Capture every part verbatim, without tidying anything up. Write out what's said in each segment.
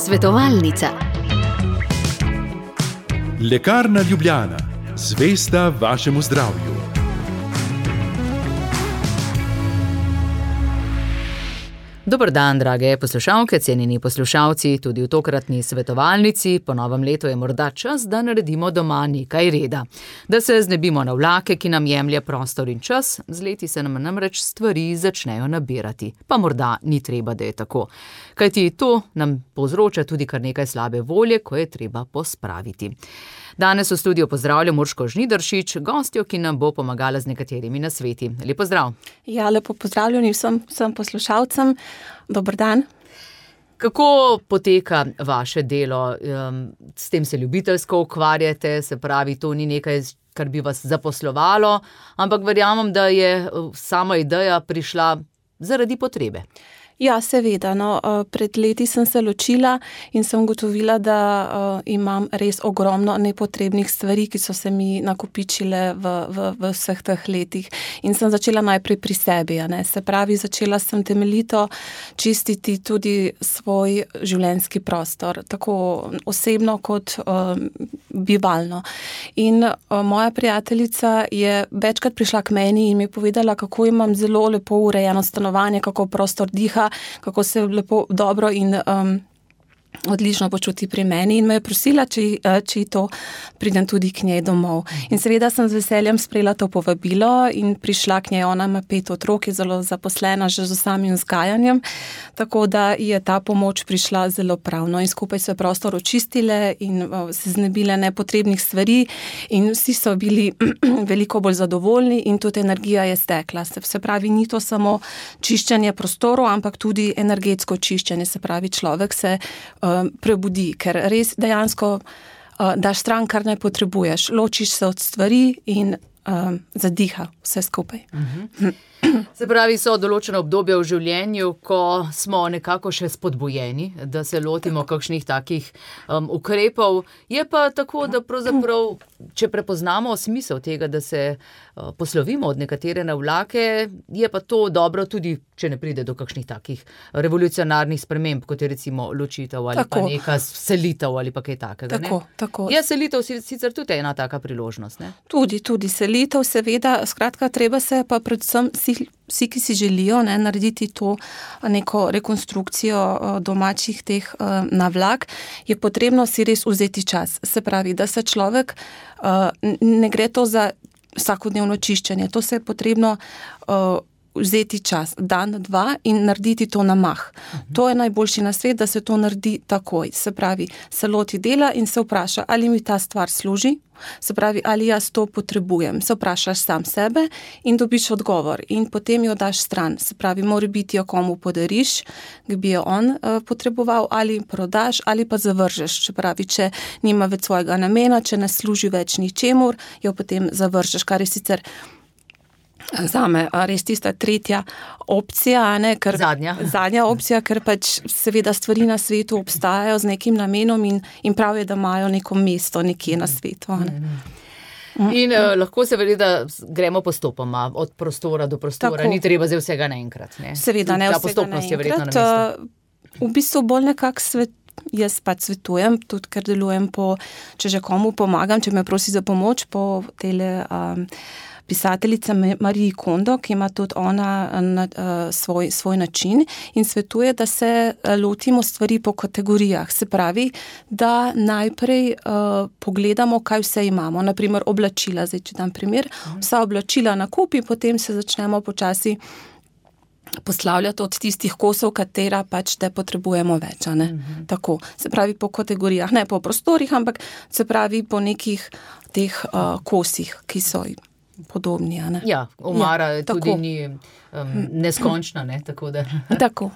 Svetovalnica. Lekarna Ljubljana, zvesta vašemu zdravju. Dober dan, drage poslušalke, cenjeni poslušalci, tudi v tokratni svetovalnici. Po novem letu je morda čas, da naredimo doma nekaj reda. Da se znebimo navlake, ki nam jemlje prostor in čas, z leti se nam namreč stvari začnejo nabirati. Pa morda ni treba, da je tako. Kajti to nam povzroča tudi kar nekaj slabe volje, ko je treba pospraviti. Danes v studiu pozdravljam Urško Žnidaršič, gostjo, ki nam bo pomagala z nekaterimi nasveti. Lep pozdrav. Ja, lepo pozdravljeni vsem, vsem poslušalcem. Dober dan. Kako poteka vaše delo? S tem se ljubiteljsko ukvarjate, se pravi, to ni nekaj, kar bi vas zaposlovalo, ampak verjamem, da je sama ideja prišla zaradi potrebe. Ja, seveda. No, pred leti sem se ločila in sem ugotovila, da uh, imam res ogromno nepotrebnih stvari, ki so se mi nakopičile v, v, v vseh teh letih. In sem začela najprej pri sebi. Ne? Se pravi, začela sem temeljito čistiti tudi svoj življenjski prostor, tako osebno kot uh, bivalno. In uh, moja prijateljica je večkrat prišla k meni in mi je povedala, kako imam zelo lepo urejeno stanovanje, kako prostor diha, kako se lepo, dobro in um, odlično počuti pri meni in me je prosila, če, če to pridem tudi k njej domov. In seveda sem z veseljem sprejela to povabilo in prišla k njej. Ona ima pet otrok, je zelo zaposlena že z samim vzgajanjem, tako da je ta pomoč prišla zelo pravno in skupaj so prostor očistile in uh, se znebile nepotrebnih stvari in vsi so bili veliko bolj zadovoljni in tudi energija je stekla. Se, se pravi, ni to samo čiščenje prostorov, ampak tudi energetsko čiščenje, se pravi, človek se prebudi, ker res dejansko uh, daš stran, kar ne potrebuješ. Ločiš se od stvari in uh, zadiha vse skupaj. Uh-huh. Se pravi, so določene obdobja v življenju, ko smo nekako še spodbujeni, da se lotimo kakšnih takih um, ukrepov. Je pa tako, da pravzaprav, če prepoznamo smisel tega, da se uh, poslovimo od nekatere navlake, je pa to dobro tudi, če ne pride do kakšnih takih revolucionarnih sprememb, kot je recimo ločitev ali tako. Pa neka selitev ali pa kaj takega. Tako, ne? Tako. Je selitev sicer tudi ena taka priložnost, ne? Tudi, tudi selitev, seveda, skratka, treba se pa predvsem vsi, vsi ki si želijo ne, narediti to neko rekonstrukcijo domačih teh navlak, je potrebno si res vzeti čas. Se pravi, da se človek, ne gre to za vsakodnevno čiščenje, to se je potrebno vzeti čas, dan, dva in narediti to na mah. Uh-huh. To je najboljši nasvet, da se to naredi takoj. Se pravi, se loti dela in se vpraša, ali mi ta stvar služi, se pravi, ali jaz to potrebujem. Se vprašaš sam sebe in dobiš odgovor in potem jo daš stran. Se pravi, mora biti jo komu podariš, ki bi jo on uh, potreboval, ali prodaš, ali pa zavržeš. Se pravi, če nima več svojega namena, če ne služi več ničemur, jo potem zavržeš, kar je sicer zame res tista tretja opcija, ne, ker, zadnja. zadnja opcija, ker pač seveda stvari na svetu obstajajo z nekim namenom in, in prav je, da imajo neko mesto nekje na svetu. Ne. In uh, lahko se vedi, da gremo postopoma od prostora do prostora, tako. Ni treba zdaj vsega naenkrat. Ne. Seveda ne Ta vsega naenkrat. V bistvu bolj nekak svet, jaz pač svetujem, tudi ker delujem po, če že komu pomagam, če me prosi za pomoč po tele um, pisateljica Mariji Kondo, ki ima tudi ona na, uh, svoj, svoj način in svetuje, da se lotimo stvari po kategorijah. Se pravi, da najprej uh, pogledamo, kaj vse imamo. Naprimer, oblačila, zdaj če dam primer, vsa oblačila nakupi, potem se začnemo počasi poslavljati od tistih kosov, katera pač te potrebujemo več. A ne? Uh-huh. Tako, se pravi po kategorijah, ne po prostorih, ampak se pravi po nekih teh uh, kosih, ki so podobni. A ne? Ja, omara ja, tudi ni um, neskončna, ne? Tako da. Tako.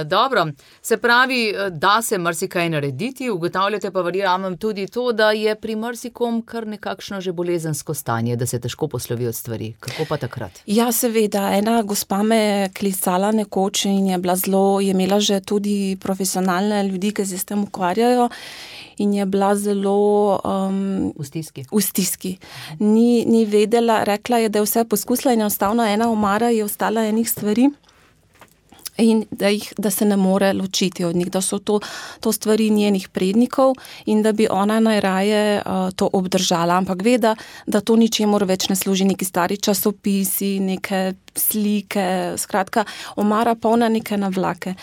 Dobro, se pravi, da se marsikaj narediti, ugotavljate pa verjamem tudi to, da je pri marsikom kar nekakšno že bolezensko stanje, da se težko poslovi od stvari. Kako pa takrat? Ja, seveda. Ena gospa me je klicala nekoč in je bila zelo, je imela že tudi profesionalne ljudi, ki se s tem ukvarjajo in je bila zelo um, v stiski. V stiski. Ni, ni vedela, rekla je, da je vse poskusila in enostavno ena omara je ostala enih stvari. in da, jih, da se ne more ločiti od njih, da so to, to stvari njenih prednikov in da bi ona najraje uh, to obdržala, ampak ve, da, da to ničemur več ne služi, neki stari časopisi, neke slike, skratka, omara polna neke navlake.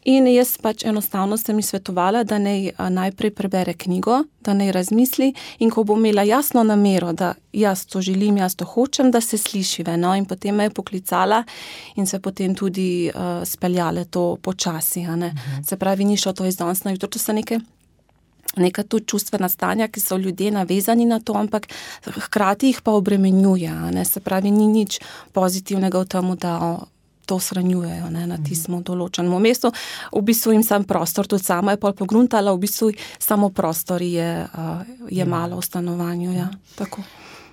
In jaz pač enostavno sem ji svetovala, da naj najprej prebere knjigo, da naj razmisli in ko bo imela jasno namero, da jaz to želim, jaz to hočem, da se slišive. No? In potem me je poklicala in se potem tudi uh, speljale to počasi. A ne? Mhm. Se pravi, ni šlo to iz danes na jutro, to so neke neka tudi čustvena stanja, ki so ljudje navezani na to, ampak hkrati jih pa obremenjuje. A ne? Se pravi, ni nič pozitivnega v tem, da o, to shranjujejo ne, na tistem določenem mestu. V bistvu jim sam prostor, tudi sama je pol pogruntala, v bistvu samo prostor je, uh, je malo v stanovanju. Ja. Tako.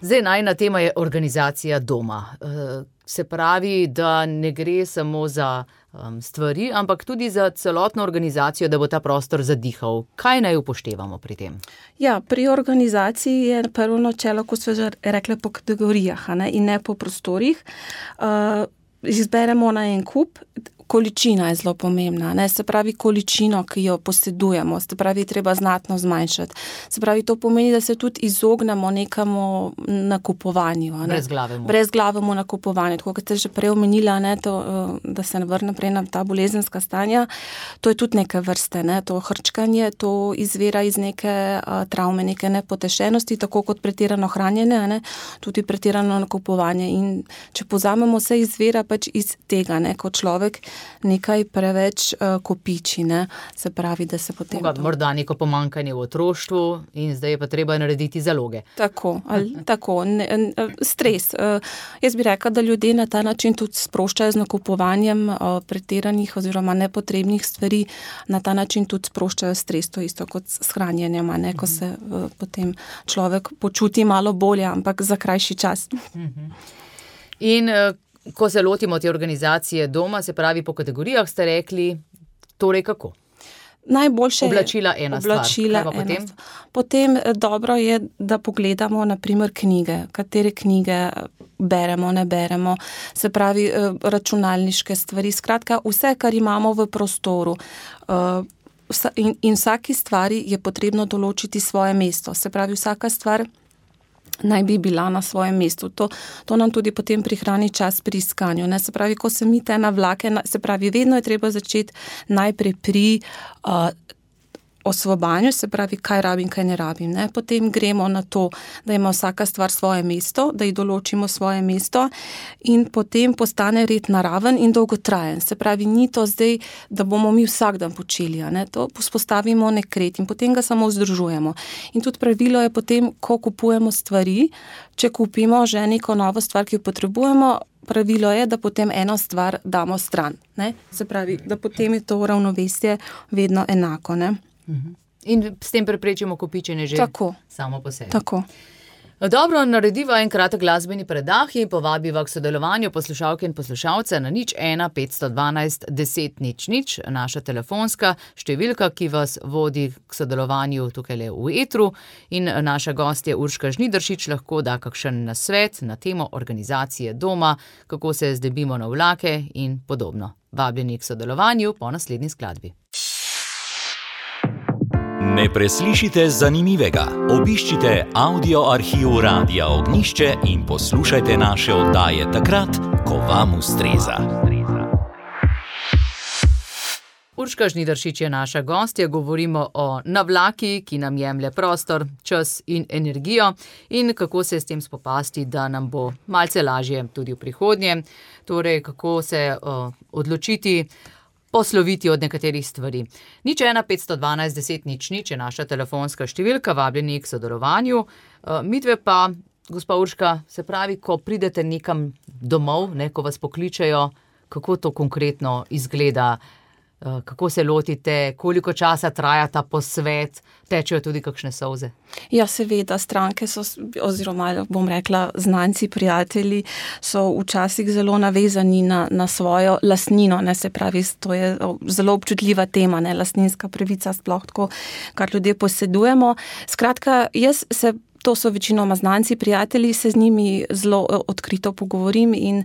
Zdaj, najna tema je organizacija doma. Uh, se pravi, da ne gre samo za um, stvari, ampak tudi za celotno organizacijo, da bo ta prostor zadihal. Kaj naj upoštevamo pri tem? Ja, pri organizaciji je prvo načelo, ko smo že rekli, po kategorijah, a ne, in ne po prostorih. Uh, Izberemo na en kup, količina je zelo pomembna, ne? Se pravi količino, ki jo posedujemo, se pravi treba znatno zmanjšati. Se pravi, to pomeni, da se tudi izognemo nekemu nakupovanju. Ne? Brezglavemu. Brezglavemu nakupovanju. Tako, kot ste že prej omenila, ne, to, da se ne vrne prej na ta bolezenska stanja, to je tudi neke vrste, ne? To hrčkanje, to izvira iz neke a, travme, neke nepotešenosti, tako kot pretirano hranjenje, ne? Tudi pretirano nakupovanje. In če povzamemo, vse izvira pač iz tega, ne? Ko človek nekaj preveč uh, kopiči, ne? Se pravi, da se potem... Moga, to... Morda neko pomankanje v otroštvu in zdaj je pa treba narediti zaloge. Tako, ali, tako ne, ne, stres. Uh, jaz bi rekla, da ljudje na ta način tudi sproščajo z nakupovanjem uh, pretiranih oziroma nepotrebnih stvari, na ta način tudi sproščajo stres, to isto kot s hranjenjem, ne? Ko se uh, potem človek počuti malo bolje, ampak za krajši čas. In uh, ko se lotimo te organizacije doma, se pravi po kategorijah, ste rekli, torej kako? Najboljše oblačila ena oblačila stvar. Potem? Ena. Potem dobro je, da pogledamo na primer knjige, katere knjige beremo, ne beremo, se pravi računalniške stvari, skratka vse, kar imamo v prostoru. In, in vsaki stvari je potrebno določiti svoje mesto, se pravi vsaka stvar naj bi bila na svojem mestu. To, to nam tudi potem prihrani čas pri iskanju. Ne? Se pravi, ko se mi te navlake, se pravi, vedno je treba začeti najprej pri uh, osvobanju, se pravi, kaj rabim, kaj ne rabim. Ne? Potem gremo na to, da ima vsaka stvar svoje mesto, da ji določimo svoje mesto in potem postane red naraven in dolgotrajen. Se pravi, ni to zdaj, da bomo mi vsak dan počeli, ne? To vzpostavimo nek red in potem ga samo vzdržujemo. In tudi pravilo je potem, ko kupujemo stvari, če kupimo že neko novo stvar, ki jo potrebujemo, pravilo je, da potem eno stvar damo stran. Ne? Se pravi, da potem je to ravnovesje vedno enako, ne? In s tem preprečimo kopičenje že tako, samo po sebi. Tako. Dobro, narediva en kratek glasbeni predah in povabiva k sodelovanju poslušalke in poslušalce na nič ena petsto dvanajst deset nič nič, naša telefonska številka, ki vas vodi k sodelovanju tukaj le v etru in naša gostja Urška Žnidaršič lahko da kakšen nasvet na temo organizacije doma, kako se zdebimo na vlake in podobno. Vabljeni k sodelovanju po naslednji skladbi. Ne preslišite zanimivega. Obiščite audio arhiv Radia Ognjišče in poslušajte naše oddaje takrat, ko vam ustreza. Urška Žnidaršič je naša gostja, govorimo o navlaki, ki nam jemlje prostor, čas in energijo in kako se s tem spopasti, da nam bo malce lažje tudi v prihodnje. Torej, kako se uh, odločiti, posloviti od nekaterih stvari. nič ena petsto dvanajst deset nič nič je naša telefonska številka, vabljeni k sodelovanju. Midve pa, gospa Urška, se pravi, ko pridete nekam domov, ne, ko vas pokličejo, kako to konkretno izgleda, kako se lotite, koliko časa traja ta posvet, tečejo tudi kakšne solze? Ja, seveda, stranke so, oziroma bom rekla, znanci, prijatelji so včasih zelo navezani na, na svojo lastnino, ne, se pravi, to je zelo občutljiva tema, ne, lastninska pravica sploh tako, kar ljudje posedujemo. Skratka, jaz se to so večinoma znanci, prijatelji, se z njimi zelo odkrito pogovorim in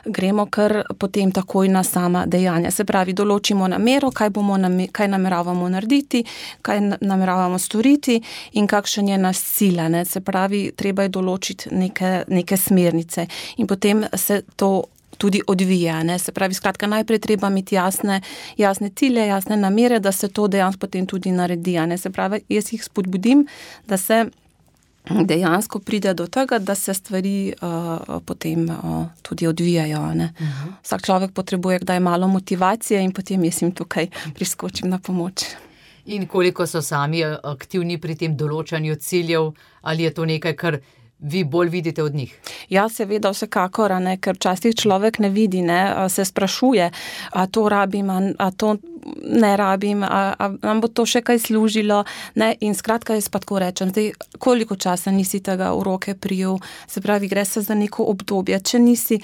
gremo kar potem takoj na sama dejanja. Se pravi, določimo namero, kaj bomo, kaj nameravamo narediti, kaj nameravamo storiti in kakšen je naš cilj. Ne? Se pravi, treba je določiti neke, neke smernice in potem se to tudi odvija. Ne? Se pravi, skratka, najprej treba imeti jasne, jasne cilje, jasne namere, da se to dejansko potem tudi naredi. Ne? Se pravi, jaz jih spodbudim, da se dejansko pride do tega, da se stvari uh, potem uh, tudi odvijajo. Ne? Uh-huh. Vsak človek potrebuje kdaj malo motivacije in potem jaz jim tukaj priskočim na pomoč. In koliko so sami aktivni pri tem določanju ciljev, ali je to nekaj, kar vi bolj vidite od njih? Ja, seveda, vsekakor, ne, ker včasih človek ne vidi, ne, se sprašuje, a to rabim, a, a to ne rabim, a, a nam bo to še kaj služilo, ne, in skratka jaz pa tako rečem, zdaj, koliko časa nisi tega v roke prijel, se pravi, gre se za neko obdobje, če nisi,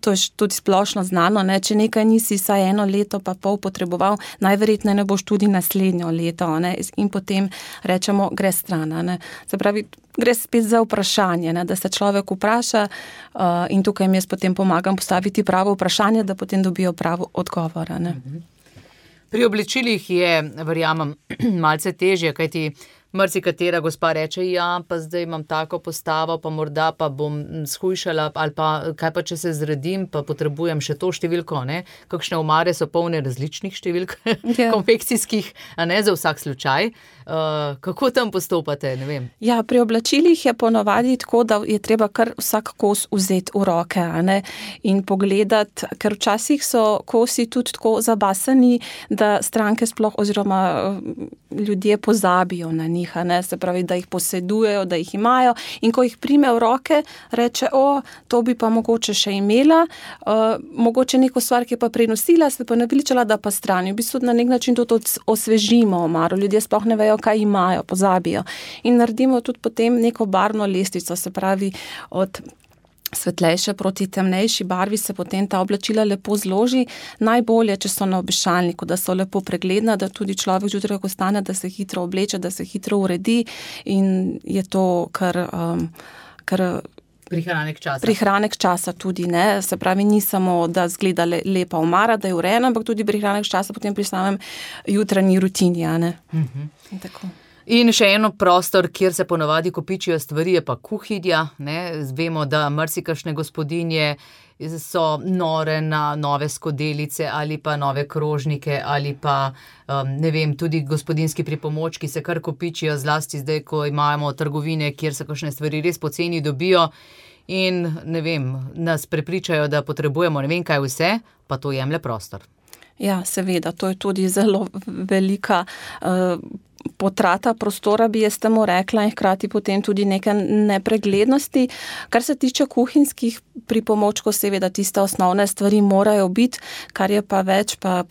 to je tudi splošno znano, ne, če nekaj nisi saj eno leto pa pol potreboval, najverjetneje ne boš tudi naslednjo leto, ne, in potem rečemo, gre stran, ne, se pravi, gre spet za vprašanje, ne, da se človek vpraša uh, in tukaj mi jaz potem pomagam postaviti pravo vprašanje, da potem dobijo pravo odgovor. Ne. Pri obličilih je, verjamem, malce težje, kajti marsikatera gospa reče, ja, pa zdaj imam tako postavo, pa morda pa bom shujšala, ali pa kaj pa, če se zredim, pa potrebujem še to številko, ne? Kakšne omare so polne različnih številk, yeah. konfekcijskih, a ne za vsak slučaj. Uh, kako tam postopate, ne vem? Ja, pri oblačilih je ponovadi tako, da je treba kar vsak kos vzeti v roke, a ne, in pogledati, ker včasih so kosi tudi tako zabasani, da stranke sploh oziroma ljudje pozabijo na njih, a ne, se pravi, da jih posedujejo, da jih imajo in ko jih prime v roke, reče, o, to bi pa mogoče še imela, uh, mogoče neko stvar, ki je pa prenosila, se pa naveličala, da pa strani. V bistvu na nek način tudi osvežimo omaro, ljudje sploh ne vejo, kaj imajo, pozabijo. In naredimo tudi potem neko barvno lestvico, se pravi od svetlejše proti temnejši barvi se potem ta oblačila lepo zloži. Najbolje, če so na obešalniku, da so lepo pregledna, da tudi človek zjutraj, ko stane, da se hitro obleče, da se hitro uredi in je to kar... Um, kar Prihranek časa. Prihranek časa tudi, ne. Se pravi, ni samo, da zgleda le, lepa omara, da je urejena, ampak tudi prihranek časa potem pri samem jutranji rutini, a ne. Uh-huh. In tako. In še eno prostor, kjer se ponavadi kopičijo stvari, je pa kuhinja, ne. Vemo, da marsikašne gospodinje so nore na nove skodelice ali pa nove krožnike ali pa, um, ne vem, tudi gospodinjski pripomočki se kar kopičijo, zlasti zdaj, ko imamo trgovine, kjer se kakšne stvari res poceni dobijo in, ne vem, nas prepričajo, da potrebujemo ne vem kaj vse, pa to jemlje prostor. Ja, seveda, to je tudi zelo velika uh, potrata prostora, bi jaz temu rekla, in hkrati potem tudi neke nepreglednosti. Kar se tiče kuhinjskih pripomočkov, seveda tiste osnovne stvari morajo biti, kar je pa več, pa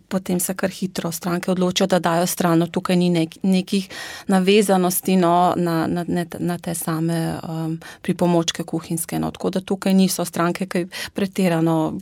potem se kar hitro stranke odločijo, da dajo strano. Tukaj ni nek, nekih navezanosti no, na, na, na te same um, pripomočke kuhinjske. No. Tako da tukaj niso stranke, ki pretirano,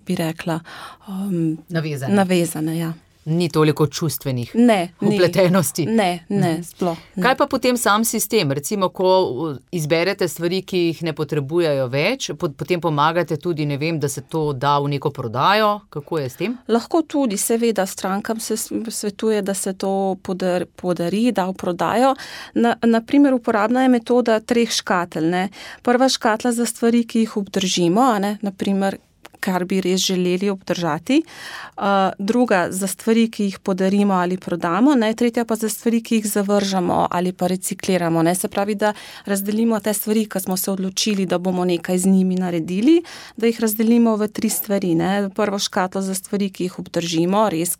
bi rekla, um, navezane. navezane, ja. Ni toliko čustvenih ne, vpletenosti. Ne, ne, sploh. Ne. Kaj pa potem sam sistem? Recimo, ko izberete stvari, ki jih ne potrebujejo več, potem pomagate tudi, ne vem, da se to da v neko prodajo. Kako je s tem? Lahko tudi, seveda, strankam se svetuje, da se to podar, podari, da v prodajo. Na, na primer, uporabna je metoda treh škatel. Ne. Prva škatla za stvari, ki jih obdržimo, a ne, na primer, kar bi res želeli obdržati, uh, druga za stvari, ki jih podarimo ali prodamo, ne? Tretja pa za stvari, ki jih zavržamo ali pa recikliramo. Ne? Se pravi, da razdelimo te stvari, ki smo se odločili, da bomo nekaj z njimi naredili, da jih razdelimo v tri stvari. Ne? Prvo škatlo za stvari, ki jih obdržimo, res,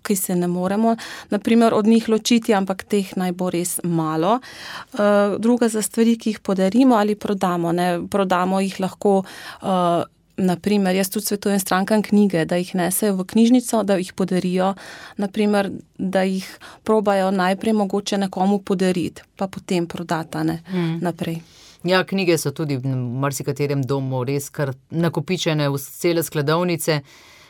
ki se ne moremo, naprimer, od njih ločiti, ampak teh naj bo res malo. Uh, druga za stvari, ki jih podarimo ali prodamo. Ne? Prodamo jih lahko uh, naprimer, jaz tudi svetujem strankam knjige, da jih nesejo v knjižnico, da jih podarijo, naprimer, da jih probajo najprej mogoče nekomu podariti, pa potem prodata ne, mm. naprej. Ja, knjige so tudi v marsikaterem domu res kar nakopičene v cele skladovnice.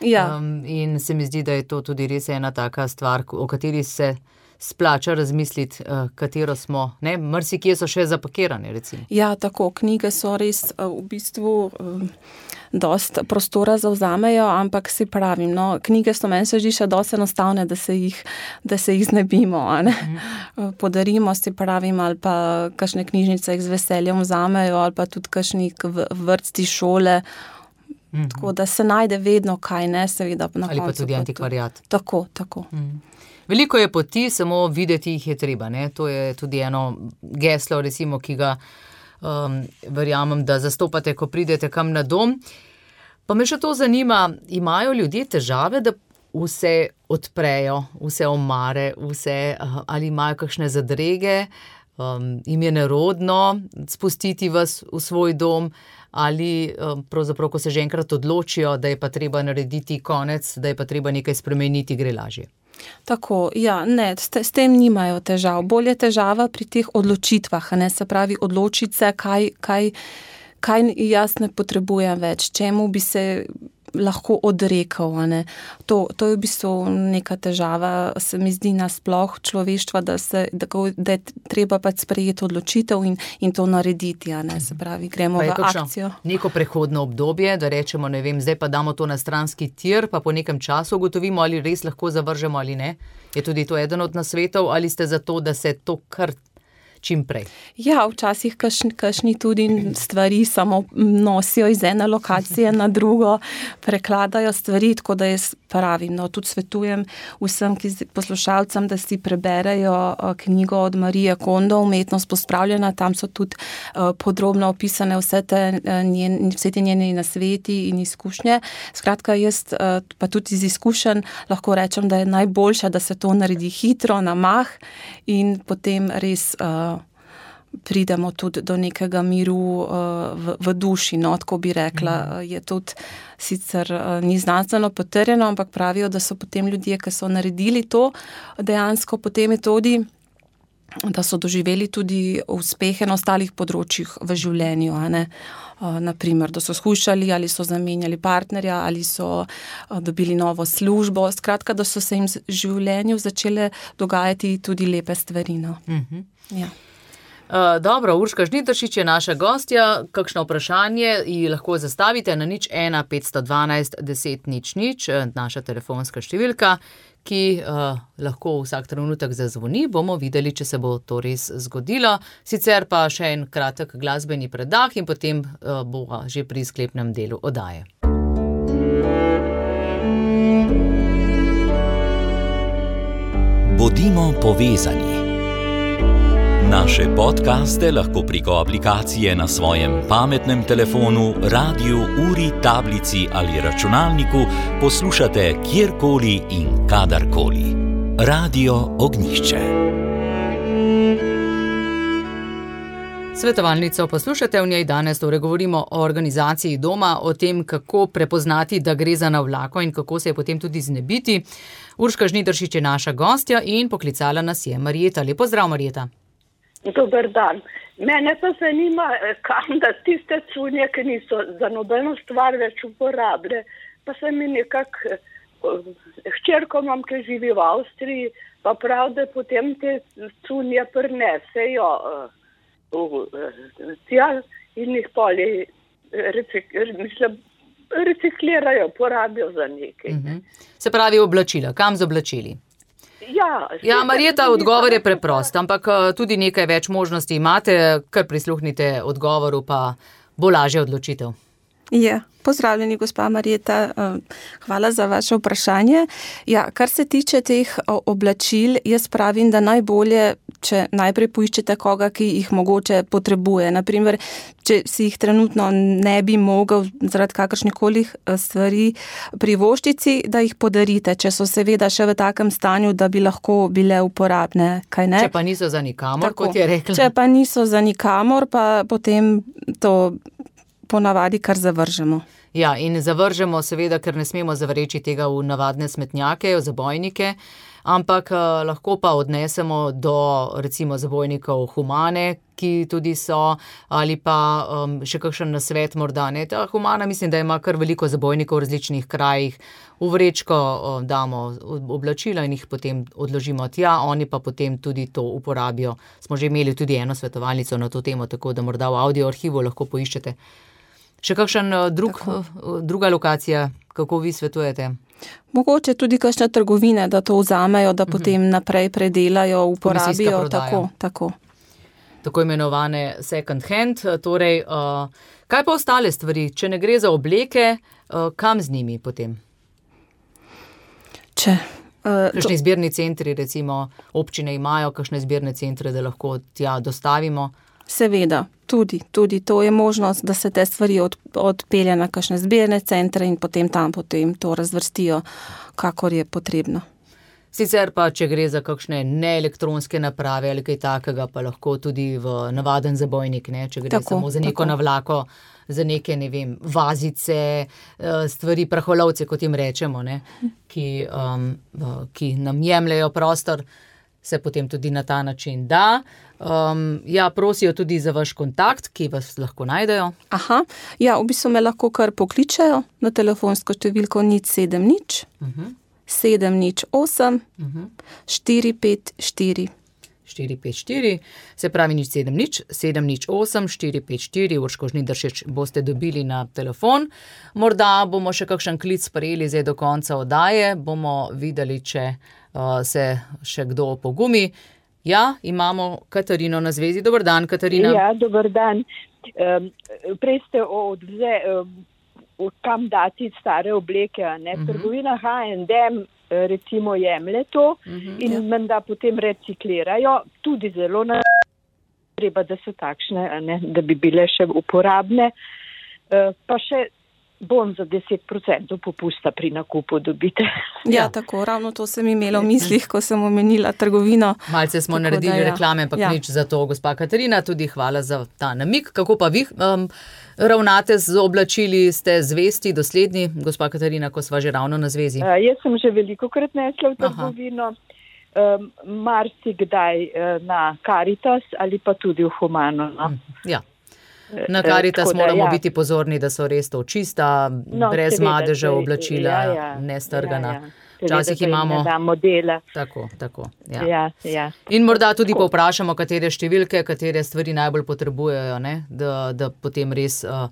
Ja. Um, in se mi zdi, da je to tudi res ena taka stvar, o kateri se splača razmisliti, uh, katero smo, ne, marsikje so še zapakirane, recimo. Ja, tako, knjige so res uh, v bistvu um, dost prostora zavzamejo, ampak si pravim, no, knjige so meni se zdi še dosti enostavne, da se jih, da se jih znebimo, a ne. Mm. Podarimo, si pravim, ali pa kakšne knjižnice jih z veseljem vzamejo, ali pa tudi kakšni vrtci, šole. Mm-hmm. Tako da se najde vedno kaj, ne, seveda. Na ali koncu, pa tudi antikvariat. Tako, tako. Mm. Veliko je poti, samo videti jih je treba, ne. To je tudi eno geslo, recimo, ki ga um, verjamem, da zastopate, ko pridete kam na dom. Pa me še to zanima, imajo ljudje težave, da vse odprejo, vse omare, vse, ali imajo kakšne zadrege, um, jim je nerodno spustiti vas v svoj dom, ali um, pravzaprav, ko se že enkrat odločijo, da je pa treba narediti konec, da je pa treba nekaj spremeniti, gre lažje. Tako, ja, ne, s, te, s tem nimajo težav. Bolj je težava pri teh odločitvah, ne, se pravi odločiti se, kaj, kaj, kaj jaz ne potrebujem več, čemu bi se lahko odrekel, a ne. To, to je v bistvu neka težava, se mi zdi nasploh človeštva, da, se, da, da je treba pač sprejeti odločitev in, in to narediti, a ne, se pravi, gremo v akcijo. Neko prehodno obdobje, da rečemo, ne vem, zdaj pa damo to na stranski tir, pa po nekem času ugotovimo, ali res lahko zavržemo ali ne. Je tudi to eden od nasvetov, ali ste za to, da se to kar čim prej? Ja, včasih kašni, kašni tudi stvari samo nosijo iz ene lokacije na drugo, prekladajo stvari, tako da jaz pravim, no, tudi svetujem vsem poslušalcem, da si preberejo knjigo od Marije Kondo, Umetnost pospravljena, tam so tudi uh, podrobno opisane vse te, njen, vse te njene nasveti in izkušnje. Skratka, jaz uh, pa tudi iz izkušenj lahko rečem, da je najboljše, da se to naredi hitro, na mah in potem res uh, pridemo tudi do nekega miru uh, v, v duši, no, tako bi rekla. Mm. Je tudi sicer uh, ni znanstveno potrjeno, ampak pravijo, da so potem ljudje, ki so naredili to, dejansko potem je tudi, da so doživeli tudi uspehe na ostalih področjih v življenju, a ne. Uh, naprimer, da so skušali ali so zamenjali partnerja ali so uh, dobili novo službo. Skratka, da so se jim v življenju začele dogajati tudi lepe stvari, no. Mm-hmm. Ja. Uh, dobro, Urška Žnidaršič je naša gostja. Kakšno vprašanje ji lahko zastavite na nič ena petsto dvanajst deset nič nič, naša telefonska številka, ki uh, lahko vsak trenutek zazvoni. Bomo videli, če se bo to res zgodilo. Sicer pa še en kratek glasbeni predah in potem uh, bo že pri sklepnem delu oddaje. Bodimo povezani. Naše podcaste lahko preko aplikacije na svojem pametnem telefonu, radiju, uri, tablici ali računalniku poslušate kjerkoli in kadarkoli. Radio Ognjišče. Svetovalnico poslušate, v njej danes torej govorimo o organizaciji doma, o tem, kako prepoznati, da gre za navlako in kako se je potem tudi znebiti. Urška Žnidaršič je naša gostja in poklicala nas je Marjeta. Lep pozdrav, Marjeta. Dober dan. Mene pa zanima, kam da tiste cunje, ki niso za nobeno stvar več uporabile. Pa se mi nekako, hčerko imam, ki živi v Avstriji, pa prav, da potem te cunje prinesejo v tja in jih poli recik, mislim, reciklirajo, porabijo za nekaj. Mm-hmm. Se pravi oblačila. Kam z oblačili? Ja, ja, Marjeta, odgovor je preprost, ampak tudi nekaj več možnosti imate, kar prisluhnite odgovoru, pa bo lažja odločitev. Ja, pozdravljeni, gospa Marjeta, hvala za vaše vprašanje. Ja, kar se tiče teh oblačil, jaz pravim, da najbolje, če najprej poiščete koga, ki jih mogoče potrebuje. Naprimer, če si jih trenutno ne bi mogel zaradi kakršnikoli stvari privoščici, da jih podarite, če so seveda še v takem stanju, da bi lahko bile uporabne, kaj ne? Če pa niso za nikamor, tako, kot je rekla. Če pa niso za nikamor, pa potem to ponavadi kar zavržemo. Ja, in zavržemo seveda, ker ne smemo zavreči tega v navadne smetnjake, v zabojnike, ampak eh, lahko pa odnesemo do recimo zabojnikov Humane, ki tudi so, ali pa um, še kakšen nasvet morda, ne. Ta Humana mislim, da ima kar veliko zabojnikov v različnih krajih. V vrečko um, damo oblačila in jih potem odložimo tja, oni pa potem tudi to uporabijo. Smo že imeli tudi eno svetovalnico na to temo, tako da morda v audio arhivu lahko poiščete. Še kakšen drug, druga lokacija, kako vi svetujete? Mogoče tudi kakšne trgovine, da to vzamejo, da potem uh-huh. naprej predelajo, uporabijo. Tako, tako. Tako imenovane second hand. Torej, uh, kaj pa ostale stvari? Če ne gre za obleke, uh, kam z njimi potem? Če... Uh, kakšni to... zbirni centri, recimo, občine imajo kakšne zbirne centre, da lahko tja dostavimo? Seveda, tudi, tudi to je možnost, da se te stvari od, odpelje na kakšne zbirne centre in potem tam potem to razvrstijo, kakor je potrebno. Sicer pa, če gre za kakšne neelektronske naprave ali kaj takega, pa lahko tudi v navaden zabojnik, ne? Če gre tako, samo za neko tako. Navlako, za neke, ne vem, vazice, stvari, praholovce, kot jim rečemo, ne? Ki, um, ki nam jemljejo prostor, se potem tudi na ta način da. Um, ja, prosijo tudi za vaš kontakt, ki vas lahko najdejo. Aha, ja, v bistvu me lahko kar pokličejo na telefonsko številko nič sedem nič, uh-huh. sedem nič osem, uh-huh. štiri pet štiri. štiri pet štiri, se pravi nič sedem nič, sedem nič osem, štiri pet štiri, Urško Žnidaršič boste dobili na telefon. Morda bomo še kakšen klic sprejeli zdaj do konca oddaje, bomo videli, če uh, se še kdo opogumi. Ja, imamo Katarino na zvezi. Dober dan, Katarina. Ja, dober dan. Um, prej ste odvze, um, kam dati stare obleke, ne? Uh-huh. Trgovina H and M recimo jemlje to uh-huh, in ja. menda potem reciklirajo, tudi zelo na treba, da so takšne, ne, da bi bile še uporabne, uh, pa še bon za deset procentov popusta pri nakupu dobite. Ja, ja, tako, ravno to sem imela v mislih, ko sem omenila trgovino. Malce smo tako, naredili da, ja. reklame, pa ja. nič za to, gospa Katarina, tudi hvala za ta namik. Kako pa vi um, ravnate z oblačili, ste zvesti, dosledni, gospa Katarina, ko sva že ravno na zvezi? Uh, jaz sem že veliko krat nesla v trgovino, um, marsikdaj uh, na Caritas ali pa tudi v Humano. No? Ja. Na Caritas moramo ja. biti pozorni, da so res to čista, no, brez seveda, madeža oblačila, ja, ja, nestrgana. Ja, ja. Včasih imamo... Tako, tako. Ja. Ja, ja. In morda tudi povprašamo, katere številke, katere stvari najbolj potrebujejo, ne? Da, da potem res uh,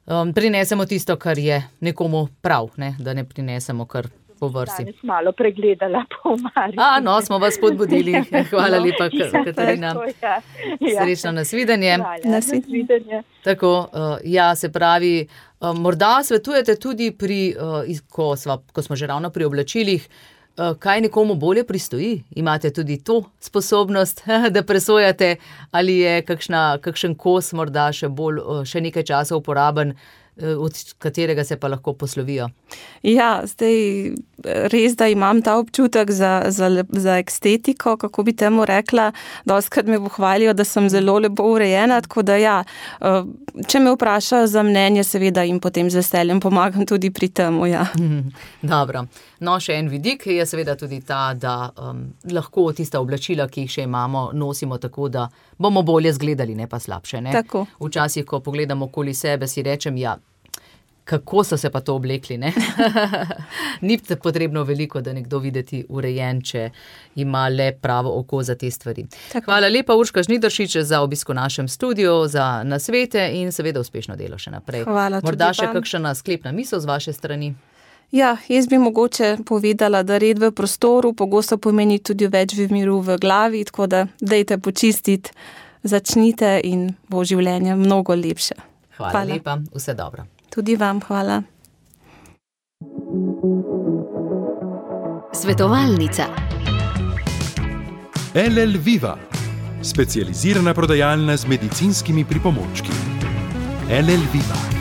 um, prinesemo tisto, kar je nekomu prav, ne? Da ne prinesemo kar po vrsti. Danes malo pregledala po omari. A, no, smo vas podbudili. Hvala no, lepa, ja, Katarina. Tako, ja. Ja. Srečno nasvidenje. Hvala, nasvidenje. Tako, uh, ja, se pravi, uh, morda svetujete tudi pri, uh, ko, sva, ko smo že ravno pri oblačilih, uh, kaj nekomu bolje pristoji? Imate tudi to sposobnost, da presojate, ali je kakšna, kakšen kos morda še bolj, uh, še nekaj časa uporaben, od katerega se pa lahko poslovijo. Ja, zdaj res, da imam ta občutek za, za, za estetiko, kako bi temu rekla, dostikrat me pohvalijo, da sem zelo lepo urejena, tako da ja, če me vprašajo za mnenje, seveda jim potem z veseljem pomagam tudi pri temu, ja. Dobro. No, še en vidik je seveda tudi ta, da um, lahko tista oblačila, ki jih še imamo, nosimo tako, da bomo bolje zgledali, ne pa slabše, ne? Tako. Včasih, ko pogledamo okoli sebe, si rečem, ja, kako so se pa to oblekli, ne? Ni potrebno veliko, da nekdo videti urejen, če ima le pravo oko za te stvari. Tako. Hvala lepa, Urška Žnidaršič, za obisk v našem studiu, za nasvete in seveda uspešno delo še naprej. Hvala tudi Morda še vam. kakšna sklepna misel z vaše strani? Ja, jaz bi mogoče povedala, da red v prostoru pogosto pomeni tudi več miru v glavi, tako da dejte počistiti, začnite in bo življenje mnogo lepše. Hvala, hvala. lepa, vse dobro. Tudi vam hvala. Svetovalnica. L L Viva, specializirana prodajalna z medicinskimi pripomočki. L L Viva.